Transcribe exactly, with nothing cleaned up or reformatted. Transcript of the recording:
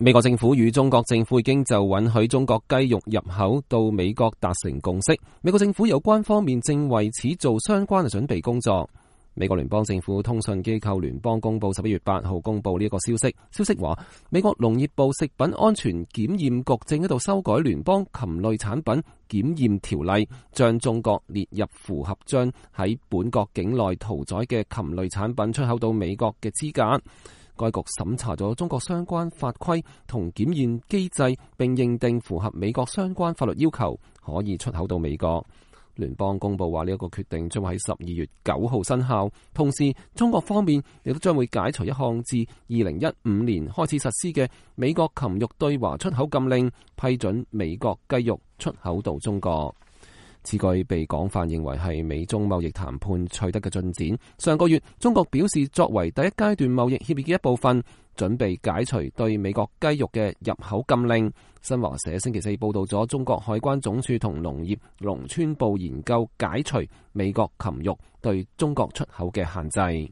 美國政府與中國政府已經就允許中國雞肉入口到美國達成共識，美國政府有關方面正為此做相關嘅準備工作。美國聯邦政府通訊機構聯邦公佈十一月八號公佈呢一個消息，消息話美國農業部食品安全檢驗局正喺度修改聯邦禽類產品檢驗條例，將中國列入符合將喺本國境內屠宰嘅禽類產品出口到美國嘅資格。該局審查咗中國相關法規同檢驗機制，並認定符合美國相關法律要求，可以出口到美國。聯邦公佈話呢一個決定將會喺十二月九號生效，同時中國方面亦都將會解除一項自二零一五年開始實施嘅美國禽肉對華出口禁令，批准美國雞肉出口到中國。此舉被廣泛認為係美中貿易談判取得嘅進展。上個月，中國表示作為第一階段貿易協議嘅一部分，準備解除對美國雞肉嘅入口禁令。新華社星期四報道咗中國海關總署同農業農村部研究解除美國禽肉對中國出口嘅限制。